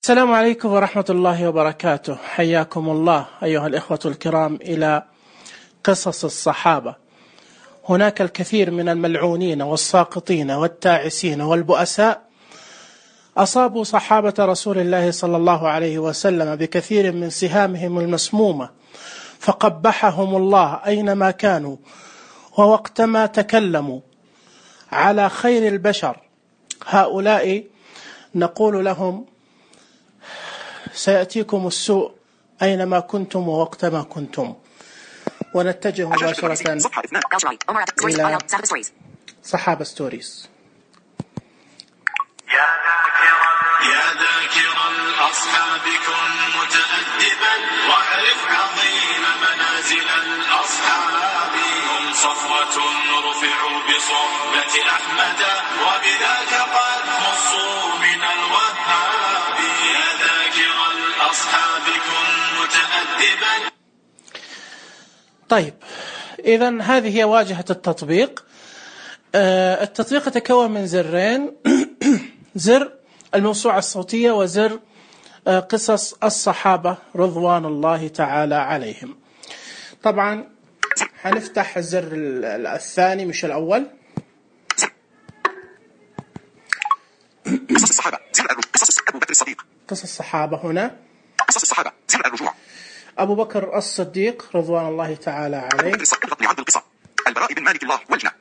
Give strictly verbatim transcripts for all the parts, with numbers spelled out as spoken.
السلام عليكم ورحمة الله وبركاته. حياكم الله أيها الإخوة الكرام إلى قصص الصحابة. هناك الكثير من الملعونين والساقطين والتاعسين والبؤساء أصابوا صحابة رسول الله صلى الله عليه وسلم بكثير من سهامهم المسمومة، فقبحهم الله أينما كانوا ووقتما تكلموا على خير البشر. هؤلاء نقول لهم سيأتيكم السوء أينما كنتم ووقتما كنتم. ونتجه مباشرة إلى صحابة ستوريز. يا ذاكر الأصحاب كن متأدبا واعرف عظيم منازل الأصحاب. هم صفوة رفعوا بصحبة أحمد وبذاك قد خصوا من الوهاب. يا ذاكر الأصحاب كن متأدبا. طيب، إذن هذه هي واجهة التطبيق. التطبيق يتكون من زرين، زر الموسوعة الصوتية وزر قصص الصحابة رضوان الله تعالى عليهم. طبعا هنفتح الزر الثاني مش الأول. قصص الصحابة زر قصص أبو بكر الصديق. قصص الصحابة هنا قصص الصحابة زر الرجوع. أبو بكر الصديق رضوان الله تعالى عليه. لعبد القصة. البراء بن مالك الله والجنة.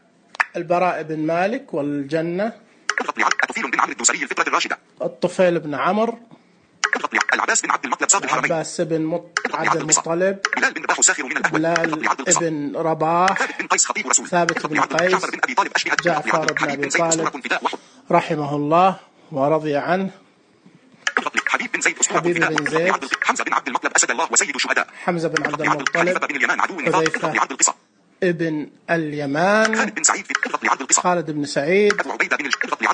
البراء بن مالك والجنة. الطفيل بن عمرو الدوسري الفطرة الراشدة. الطفيل بن عمرو. العباس بن عبد المطلب صاحب الحرمين. العباس بن عبد المطلب. بلال بن رباح ساخر من الأهول. بلال بن رباح. ثابت بن قيس خطيب رسول. ثابت بن قيس. جعفر بن أبي طالب رحمه الله ورضي عنه. حبيب بن زيد حبيب بن زيد. حمزة بن عبد المطلب أسد الله وسيد الشهداء. حمزة بن عبد المطلب. بن اليمان عدو حذيفة ابن اليمان. خالد بن سعيد في عبد القصة. خالد بن سعيد. أبو عبيدة بن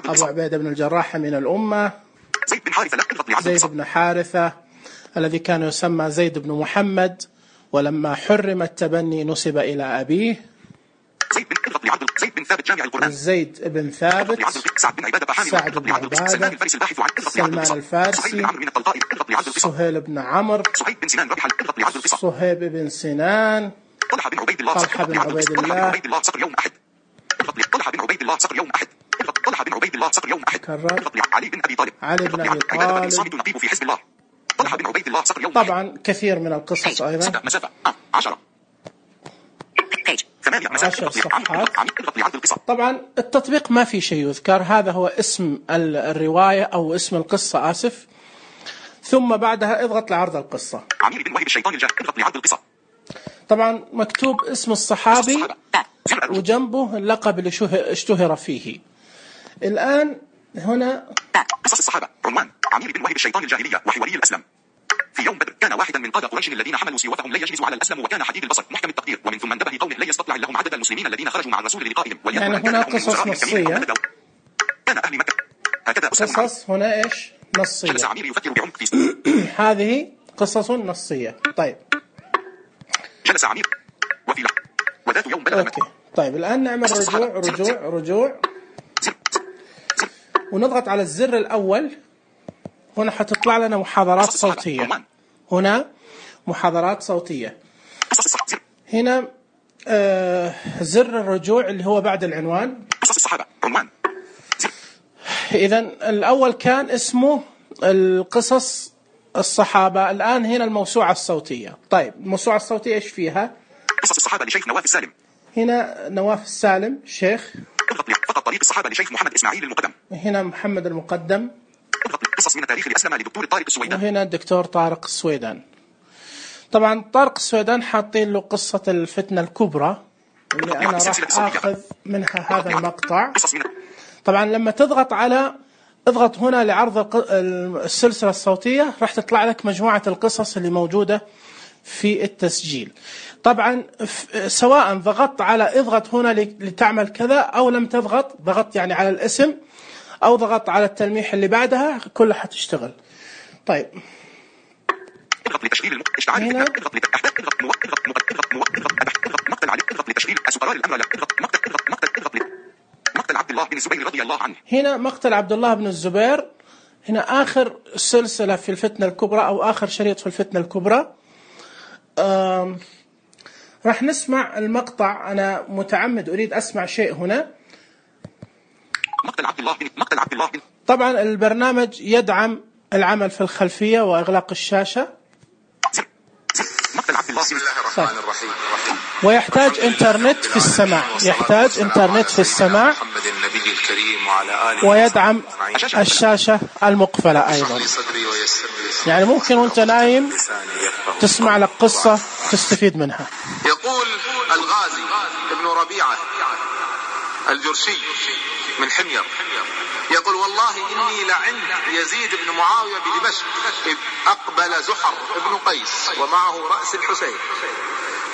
أبو عبيدة بن الجراح من الأمة. زيد بن حارثة زيد بن حارثة الذي كان يسمى زيد بن محمد، ولما حرم التبني نسب إلى أبيه. زيد بن زيد بن ثابت جامع القرآن. زيد بن ثابت. سعد بن عبادة سعد بن عبادة. سلمان الفارسي الباحث عن سلمان الفارسي. سهيل بن عمرو. صهيب بن سنان ربح صهيب بن سنان. طلحة بن عبيد الله. طلحة بن عبيد الله. صقر يوم أحد. طلحة بن عبيد الله صقر يوم أحد. طلحة بن عبيد الله صقر يوم أحد. كرر. علي بن أبي طالب. علي بن أبي طالب. صامت نقيب في حزب الله. طلحة بن عبيد الله صقر يوم. طبعا كثير من القصص أيضا. مسافة عشرة. عشر صفحات. طبعا التطبيق ما في شيء يذكر، هذا هو اسم الرواية أو اسم القصة آسف، ثم بعدها اضغط لعرض القصة. عمير بن وهب الشيطان الجاهل اضغط لعرض القصة. طبعا مكتوب اسم الصحابي وجنبه اللقب اللي اشتهر فيه. الآن هنا قصص الصحابة عنوان عمير بن وهب الشيطان الجاهلية وحواري الأسلم. في يوم بدر كان واحدا من قادة قريش الذين حملوا سيوفهم لا يجهز على الأسلم، وكان حديد البصر محكم التقدير، ومن ثم انتبه قومه لا يستطلع لهم عدد المسلمين الذين خرجوا مع الرسول للقائهم. يعني هنا قصص نصية. كان أهل مكة هكذا قصص هنا إيش نصية. جلس عمير يفكر بعمق في هذه قصص نصية. طيب جلس عمير وفي لحظة وذات يوم بلغ أوكي. طيب الآن نعمل رجوع رجوع رجوع ونضغط على الزر الأول. هنا حتطلع لنا محاضرات صوتية. هنا محاضرات صوتية. هنا آه زر الرجوع اللي هو بعد العنوان. قصص الصحابة عنوان. إذن الأول كان اسمه القصص الصحابة، الآن هنا الموسوعة الصوتية. طيب الموسوعة الصوتية إيش فيها؟ قصص الصحابة لشيخ نواف السالم. هنا نواف السالم شيخ. فقط طريق الصحابة لشيخ محمد إسماعيل المقدم. هنا محمد المقدم. قصص من التاريخ لأسلم لدكتور طارق السويدان. وهنا الدكتور طارق السويدان. طبعا طارق السويدان حاطين له قصة الفتنة الكبرى اللي أنا راح أخذ منها هذا المقطع. طبعا لما تضغط على اضغط هنا لعرض السلسلة الصوتية راح تطلع لك مجموعة القصص اللي موجودة في التسجيل. طبعا سواء ضغطت على اضغط هنا لتعمل كذا أو لم تضغط، ضغطت يعني على الاسم أو ضغطت على التلميح اللي بعدها كلها حتشتغل. طيب اضغط لتشغيل الم... اشتعال هنا اضغط لتحديد اضغط موقف اضغط موقف اضغط موقف اضغط مقتل علي اضغط لتشغيل اسقرار الامر لا اضغط مقتل اضغط مقتل اضغط مقتل عبد الله بن الزبير رضي الله عنه. هنا مقتل عبد الله بن الزبير هنا آخر سلسلة في الفتنة الكبرى أو آخر شريط في الفتنة الكبرى. راح نسمع المقطع. أنا متعمد أريد أسمع شيء هنا. مقتل عبد الله بن مقتل عبد الله بن طبعا البرنامج يدعم العمل في الخلفية وإغلاق الشاشة. مقتل عبد الله بسم الله الرحمن الرحيم. ويحتاج إنترنت في السماع، يحتاج إنترنت في السماع، محمد النبي الكريم وعلى آله ويدعم الشاشة المقفلة أيضا. يعني ممكن وانت نايم تسمع لك قصة تستفيد منها. يقول الغازي ابن ربيعة الجرشي من حمير يقول والله إني لعند يزيد بن معاوية بدمشق إذ أقبل زحر ابن قيس ومعه رأس الحسين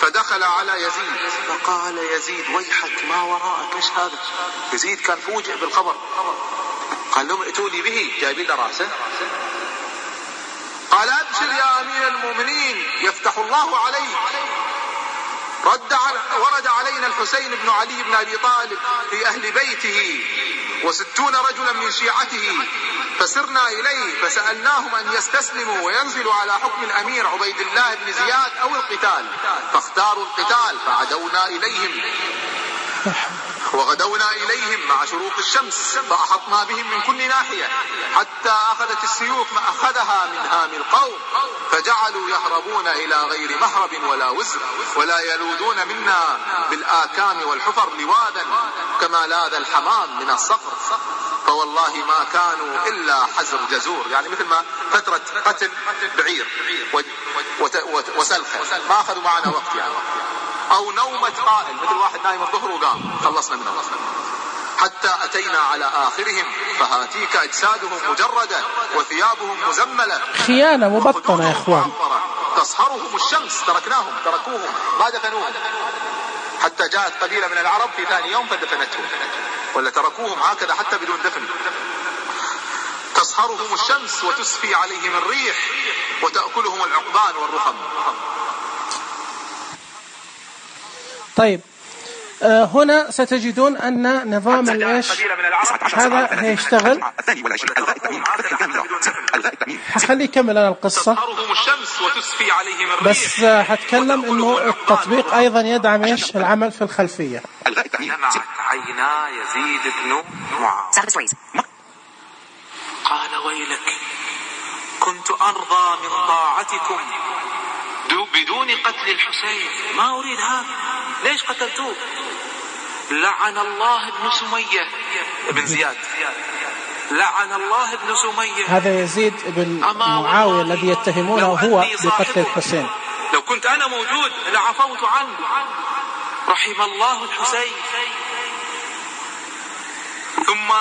فدخل على يزيد فقال يزيد ويحك ما وراءك ايش هذا؟ يزيد كان فوجئ بالخبر. قال لهم ائتوني به، جايبين رأسه. قال أبشر يا أمير المؤمنين يفتح الله عليك. رد على ورد علينا الحسين بن علي بن أبي طالب في أهل بيته وستون رجلا من شيعته فسرنا إليه فسألناهم أن يستسلموا وينزلوا على حكم الأمير عبيد الله بن زياد أو القتال فاختاروا القتال فعدونا إليهم وغدونا إليهم مع شروق الشمس فأحطنا بهم من كل ناحية حتى أخذت السيوف ما أخذها من هام القوم فجعلوا يهربون إلى غير مهرب ولا وزر ولا يلوذون منا بالآكام والحفر لواذا كما لاذ الحمام من الصقر فوالله ما كانوا إلا حزر جزور. يعني مثل ما فترة قتل بعير وسلخة ما أخذوا معنا وقت يعني. أو نومة قائل مثل واحد نايم الظهر وقام خلصنا منه. حتى أتينا على آخرهم فهاتيك أجسادهم مجردة وثيابهم مزملة خيانة مبطنة يا إخوان. تصهرهم الشمس تركناهم تركوهم ما دفنوهم حتى جاءت قبيلة من العرب في ثاني يوم فدفنتهم ولا تركوهم هكذا حتى بدون دفن. تصهرهم الشمس وتسفي عليهم الريح وتأكلهم العقبان والرخم. طيب آه هنا ستجدون أن نظام الإيش هذا هيشتغل. حخلي يكمل أنا القصة بس آه هتكلم إنه التطبيق أيضا يدعم إيش العمل في الخلفية. دمعت عينا يزيد بن معاوية قال ويلك كنت أرضى من طاعتكم بدون قتل الحسين ما أريد هذا ليش قتلتوه؟ لعن الله ابن سمية ابن زياد لعن الله ابن سمية. هذا يزيد بن معاوية الذي يتهمونه هو بقتل الحسين. لو كنت أنا موجود لعفوت عنه رحم الله الحسين. ثم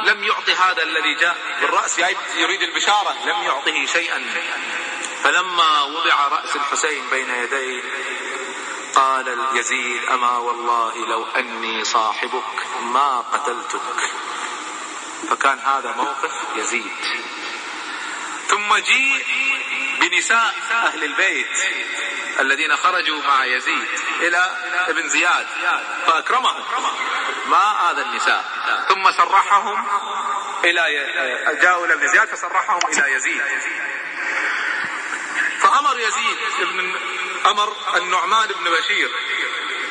لم يعطي هذا الذي جاء بالرأس يريد البشارة لم يعطه شيئا. فلما وضع رأس الحسين بين يديه قال يزيد أما والله لو أني صاحبك ما قتلتك. فكان هذا موقف يزيد. ثم جيء بنساء أهل البيت الذين خرجوا مع يزيد إلى ابن زياد فأكرمهم ما آذى النساء. ثم سرحهم إلى جاءوا إلى ابن زياد فسرحهم إلى يزيد. فأمر يزيد ابن أمر النعمان بن بشير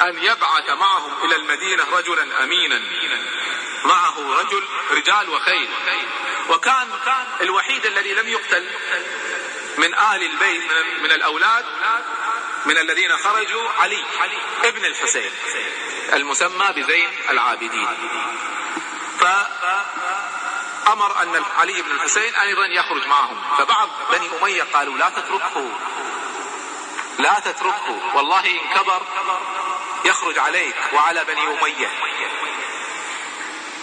أن يبعث معهم إلى المدينة رجلا أمينا معه رجل رجال وخيل. وكان الوحيد الذي لم يقتل من آل البيت من الأولاد من الذين خرجوا علي ابن الحسين المسمى بزين العابدين. فأمر أن علي بن الحسين أيضا يخرج معهم. فبعض بني أمية قالوا لا تتركه لا تتركه والله إن كبر يخرج عليك وعلى بني أمية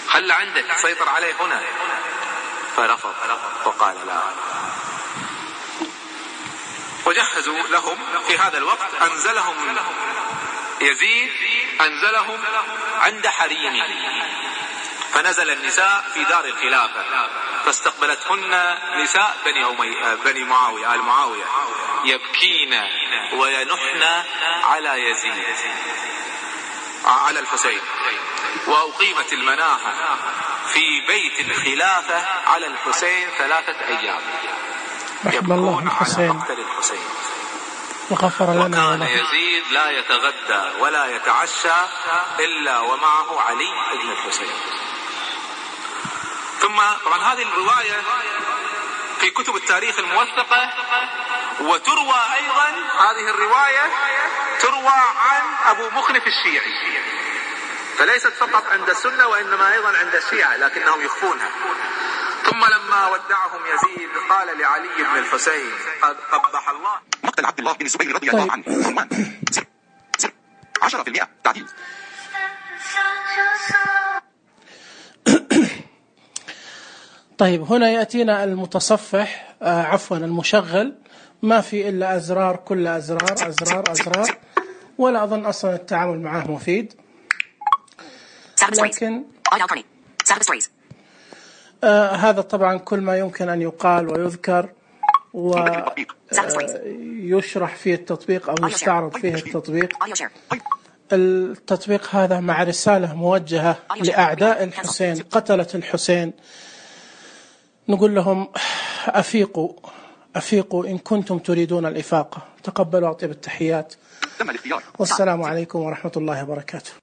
خل عندك سيطر عليه هنا. فرفض وقال لا. وجهزوا لهم في هذا الوقت أنزلهم يزيد أنزلهم عند حريمه. فنزل النساء في دار الخلافة فاستقبلتهن نساء بني أمية بني معاوية آل معاوية يبكين وينحن على يزيد على الحسين. وأقيمت المناحة في بيت الخلافة على الحسين ثلاثة أيام رحم الله يبكون على الحسين مقتل الحسين. وغفر لنا وكان وله. يزيد لا يتغدى ولا يتعشى إلا ومعه علي بن الحسين. ثم طبعا هذه الرواية في كتب التاريخ الموثقة، وتروى أيضا هذه الرواية تروى عن أبو مخنف الشيعي، فليست فقط عند السنة وإنما أيضا عند الشيعة لكنهم يخفونها. ثم لما ودعهم يزيد قال لعلي بن الحسين قد قبح الله. مقتل عبد الله بن الزبير رضي الله عنه. عنوان زر زر عشرة بالمئة تعديل. طيب هنا يأتينا المتصفح آه عفوا المشغل، ما في إلا أزرار، كل أزرار أزرار أزرار، ولا أظن أصلا التعامل معه مفيد. لكن آه هذا طبعا كل ما يمكن أن يقال ويذكر ويشرح فيه التطبيق أو يستعرض فيه التطبيق. التطبيق هذا مع رسالة موجهة لأعداء الحسين، قتلة الحسين، نقول لهم أفيقوا أفيقوا إن كنتم تريدون الإفاقة. تقبلوا أطيب التحيات، والسلام عليكم ورحمة الله وبركاته.